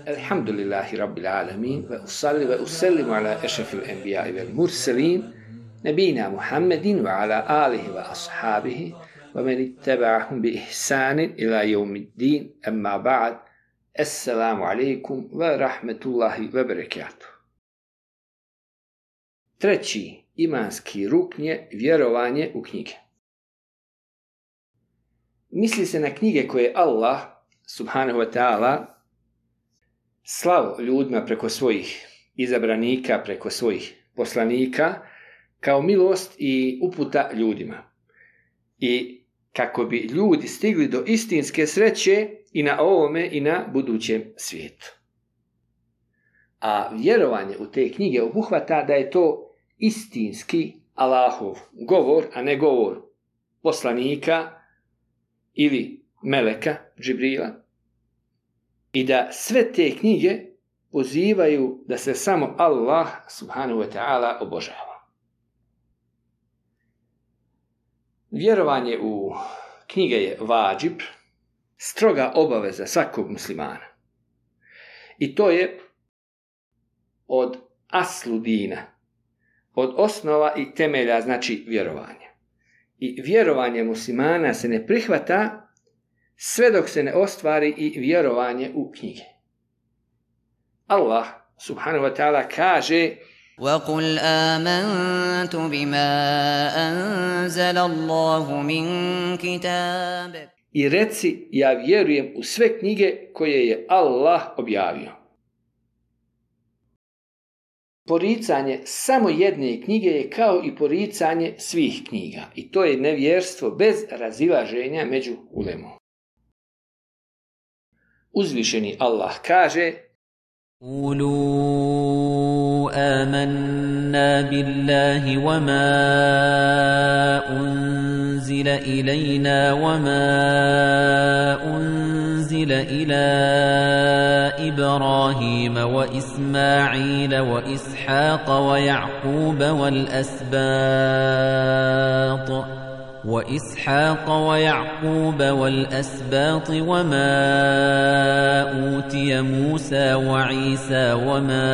Alhamdulillahi Rabbil Alamin, wa usalli wa usallimu ala ešrafil enbiya'i wal mursalin, nabina Muhammedin wa ala alihi wa ashabihi, wa man ittaba'ahum bi ihsanin ila yawmiddin, amma ba'd, assalamu alaikum wa rahmetullahi wa barakatuh. Treći imanski rukn je vjerovanje u knjige. Misli se na knjige koje Allah, subhanahu wa ta'ala, slao ljudima preko svojih izabranika, preko svojih poslanika, kao milost i uputa ljudima. I kako bi ljudi stigli do istinske sreće i na ovome i na budućem svijetu. A vjerovanje u te knjige obuhvata da je to istinski Allahov govor, a ne govor poslanika ili meleka Džibrila. I da sve te knjige pozivaju da se samo Allah subhanahu wa ta'ala obožava. Vjerovanje u knjige je vađib, stroga obaveza svakog muslimana. I to je od aslu dina, od osnova i temelja, znači vjerovanja. I vjerovanje muslimana se ne prihvata sve dok se ne ostvari i vjerovanje u knjige. Allah subhanahu wa ta'ala kaže: وَقُلْ آمَنْتُ بِمَا أَنزَلَ اللَّهُ مِنْ كِتَابٍ. I reci, ja vjerujem u sve knjige koje je Allah objavio. Poricanje samo jedne knjige je kao i poricanje svih knjiga. I to je nevjerstvo bez razilaženja među ulemom. Uzvišeni Allah kaže: قولوا آمنا بالله وما أنزل إلينا وما أنزل إلى إبراهيم وإسماعيل وإسحاق ويعقوب والأسباط وما أوتي موسى وعيسى وما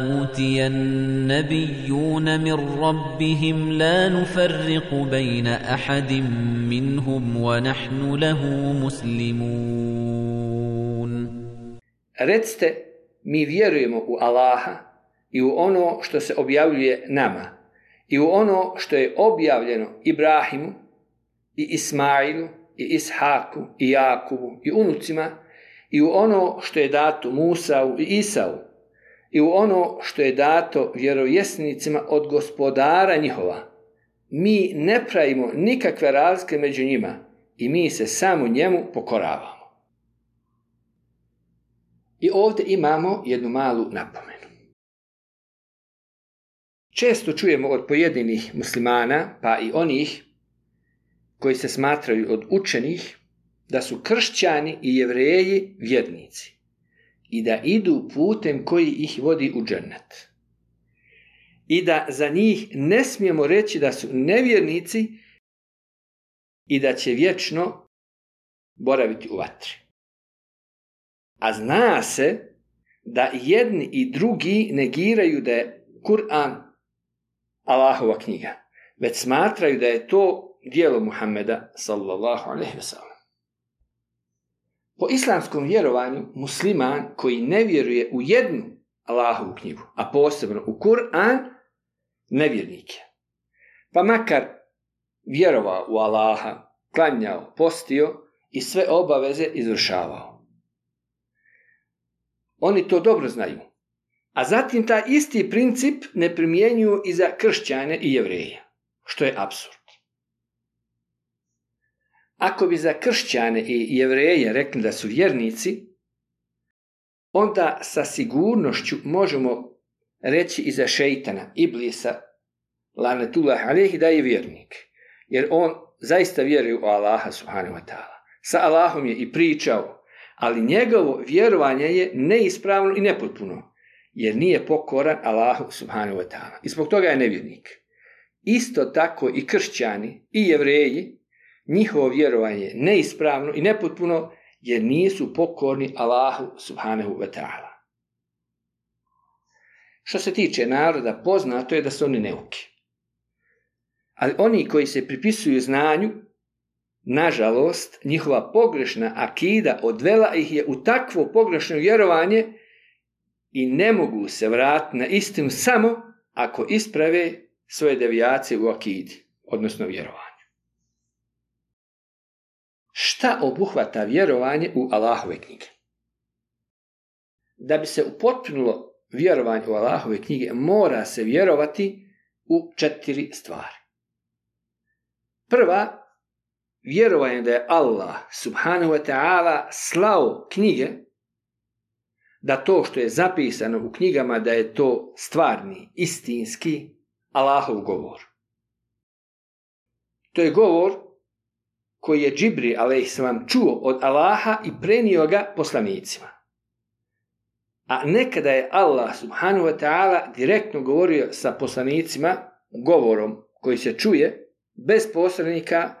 أوتي النبيون من ربهم لا نفرق بين أحد منهم ونحن له مسلمون. Recite, mi vjerujemo u Allaha i u ono što se objavljuje nama, i u ono što je objavljeno Ibrahimu i Ismailu i Ishaku i Jakubu i unucima, i u ono što je dato Musau i Isau, i u ono što je dato vjerovjesnicima od gospodara njihova. Mi ne pravimo nikakve razlike među njima i mi se samo njemu pokoravamo. I ovdje imamo jednu malu napomenu. Često čujemo od pojedinih muslimana, pa i onih koji se smatraju od učenih, da su kršćani i jevreji vjernici i da idu putem koji ih vodi u džennet. I da za njih ne smijemo reći da su nevjernici i da će vječno boraviti u vatri. A zna se da jedni i drugi negiraju da je Kur'an Allahova knjiga, već smatraju da je to djelo Muhammeda sallallahu alejhi ve sellem. Po islamskom vjerovanju musliman koji ne vjeruje u jednu Allahovu knjigu, a posebno u Kur'an, nevjernik je. Pa makar vjerovao u Allaha, klanjao, postio i sve obaveze izvršavao. Oni to dobro znaju. A zatim taj isti princip ne primjenjuju i za kršćane i jevreje, što je apsurd. Ako bi za kršćane i jevreje rekli da su vjernici, onda sa sigurnošću možemo reći i za šejtana, Iblisa, lanetullah alejhi, da je vjernik. Jer on zaista vjeruje u Allaha subhanahu wa ta'ala. Sa Allahom je i pričao, ali njegovo vjerovanje je neispravno i nepotpuno, jer nije pokoran Allahu subhanahu wa ta'ala. I zbog toga je nevjernik. Isto tako i kršćani i jevreji njihovo vjerovanje neispravno i nepotpuno jer nisu pokorni Allahu subhanahu wa ta'ala. Što se tiče naroda, poznato je da su oni neuki. Ali oni koji se pripisuju znanju, nažalost, njihova pogrešna akida odvela ih je u takvo pogrešno vjerovanje i ne mogu se vratiti na istinu samo ako isprave svoje devijacije u akidi, odnosno vjerovanju. Šta obuhvata vjerovanje u Allahove knjige? Da bi se upotpunilo vjerovanje u Allahove knjige, mora se vjerovati u 4 stvari. Prva, vjerovanje da je Allah subhanahu wa ta'ala slao knjige, da to što je zapisano u knjigama da je to stvarni, istinski Allahov govor. To je govor koji je Džibril a.s. čuo od Allaha i prenio ga poslanicima. A nekada je Allah subhanahu wa ta'ala direktno govorio sa poslanicima govorom koji se čuje bez posrednika,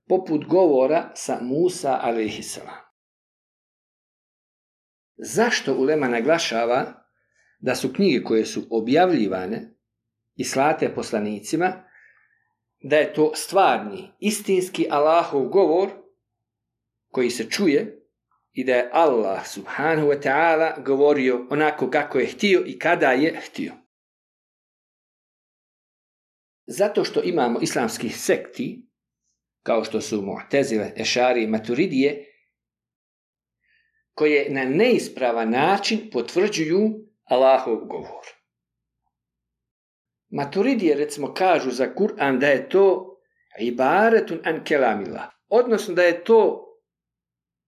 poput govora sa Musa a.s. Zašto ulema naglašava da su knjige koje su objavljivane i slate poslanicima, da je to stvarni, istinski Allahov govor koji se čuje i da je Allah subhanahu wa ta'ala govorio onako kako je htio i kada je htio? Zato što imamo islamskih sekti, kao što su Mu'tezile, Ešari i Maturidije, koje na neispravan način potvrđuju Allahov govor. Maturidije recimo kažu za Kur'an da je to ibaretun an kelamillah, odnosno da je to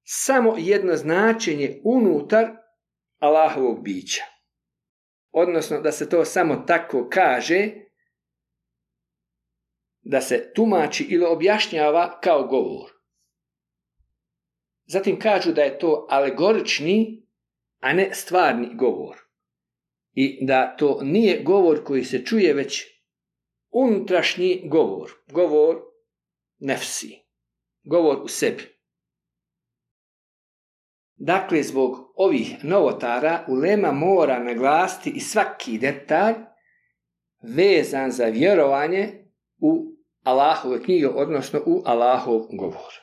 samo jedno značenje unutar Allahovog bića. Odnosno da se to samo tako kaže, da se tumači ili objašnjava kao govor. Zatim kažu da je to alegorični, a ne stvarni govor. I da to nije govor koji se čuje, već unutrašnji govor. Govor nefsi. Govor u sebi. Dakle, zbog ovih novotara ulema mora naglasiti i svaki detalj vezan za vjerovanje u Allahove knjige, odnosno u Allahov govor.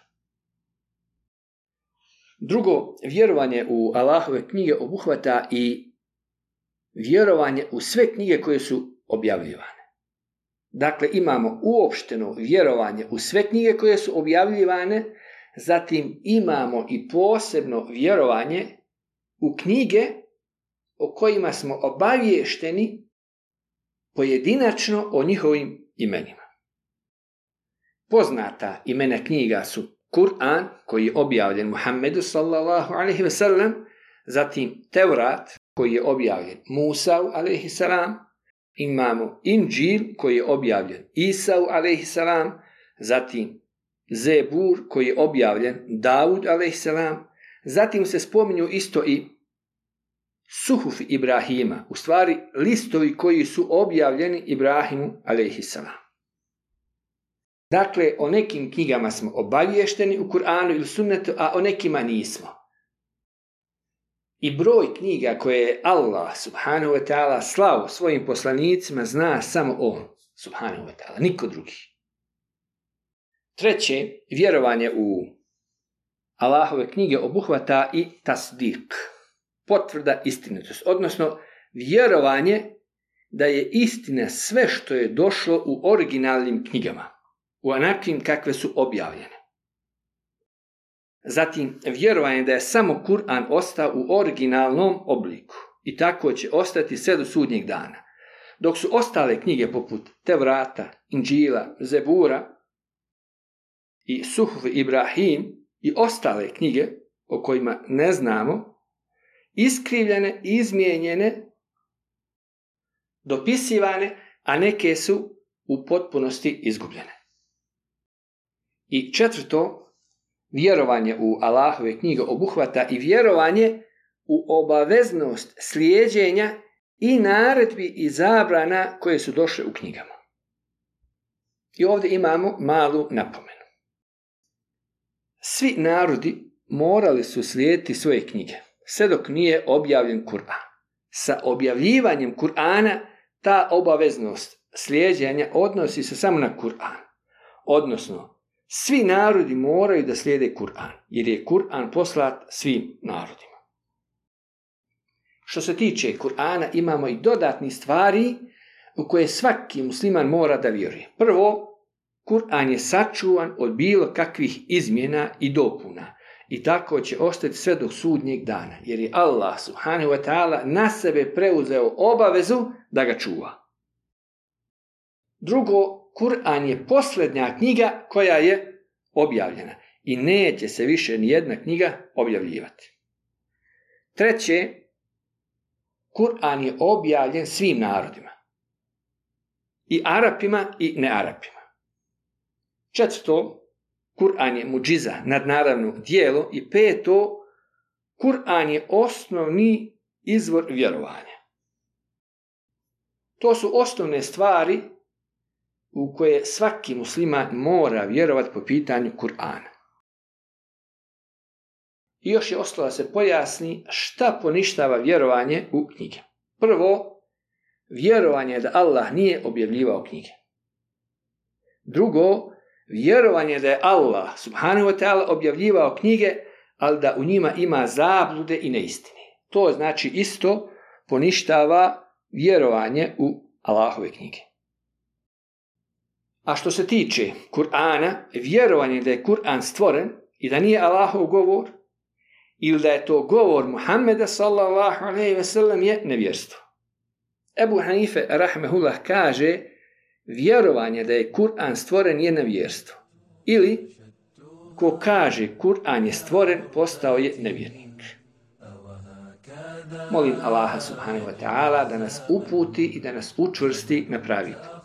Drugo, vjerovanje u Allahove knjige obuhvata i vjerovanje u sve knjige koje su objavljivane. Dakle, imamo uopšteno vjerovanje u sve knjige koje su objavljivane, zatim imamo i posebno vjerovanje u knjige o kojima smo obaviješteni pojedinačno o njihovim imenima. Poznata imena knjiga su Kur'an, koji je objavljen Muhammedu sallallahu alaihi ve sellem, zatim Tevrat, koji je objavljen Musa'u alaihi salam, imamo Inđil, koji je objavljen Isa'u alaihi salam, zatim Zebur, koji je objavljen Davud alaihi salam, zatim se spominju isto i Suhufi Ibrahima, u stvari listovi koji su objavljeni Ibrahimu alaihi salam. Dakle, o nekim knjigama smo obaviješteni u Kur'anu ili sunnetu, a o nekima nismo. I broj knjiga koje je Allah subhanahu wa ta'ala slao svojim poslanicima zna samo on subhanahu wa ta'ala, niko drugi. Treće, vjerovanje u Allahove knjige obuhvata i tasdik, potvrda istinitosti, odnosno vjerovanje da je istina sve što je došlo u originalnim knjigama, u onakvim kakve su objavljene. Zatim, vjerovanje da je samo Kur'an ostao u originalnom obliku i tako će ostati sve do sudnjeg dana. Dok su ostale knjige poput Tevrata, Inđila, Zebura i Suhuf Ibrahim i ostale knjige o kojima ne znamo, iskrivljene, izmijenjene, dopisivane, a neke su u potpunosti izgubljene. I četvrto, vjerovanje u Allahove knjige obuhvata i vjerovanje u obaveznost slijeđenja i naredbi i zabrana koje su došle u knjigama. I ovdje imamo malu napomenu. Svi narodi morali su slijediti svoje knjige, sve dok nije objavljen Kur'an. Sa objavljivanjem Kur'ana ta obaveznost slijeđenja odnosi se samo na Kur'an. Odnosno, svi narodi moraju da slijede Kur'an, jer je Kur'an poslat svim narodima. Što se tiče Kur'ana, imamo i dodatnih stvari u koje svaki musliman mora da vjeruje. Prvo, Kur'an je sačuvan od bilo kakvih izmjena i dopuna i tako će ostati sve do sudnjeg dana, jer je Allah subhanahu wa ta'ala na sebe preuzeo obavezu da ga čuva. Drugo, Kur'an je posljednja knjiga koja je objavljena i neće se više nijedna knjiga objavljivati. Treće, Kur'an je objavljen svim narodima, i Arapima i nearapima. Četvrto, Kur'an je muđiza, nadnaravno djelo, i peto, Kur'an je osnovni izvor vjerovanja. To su osnovne stvari u koje svaki musliman mora vjerovati po pitanju Kur'ana. I još je ostalo da se pojasni šta poništava vjerovanje u knjige. Prvo, vjerovanje da Allah nije objavljivao knjige. Drugo, vjerovanje da je Allah subhanahu wa ta'ala objavljivao knjige, ali da u njima ima zablude i neistine. To znači isto poništava vjerovanje u Allahove knjige. A što se tiče Kur'ana, vjerovanje da je Kur'an stvoren i da nije Allahov govor, ili da je to govor Muhammeda sallallahu alejhi ve sellem, je nevjerstvo. Ebu Hanife rahmehullah kaže, vjerovanje da je Kur'an stvoren je nevjerstvo. Ili, ko kaže Kur'an je stvoren, postao je nevjernik. Molim Allaha subhanahu wa ta'ala da nas uputi i da nas učvrsti na pravi put.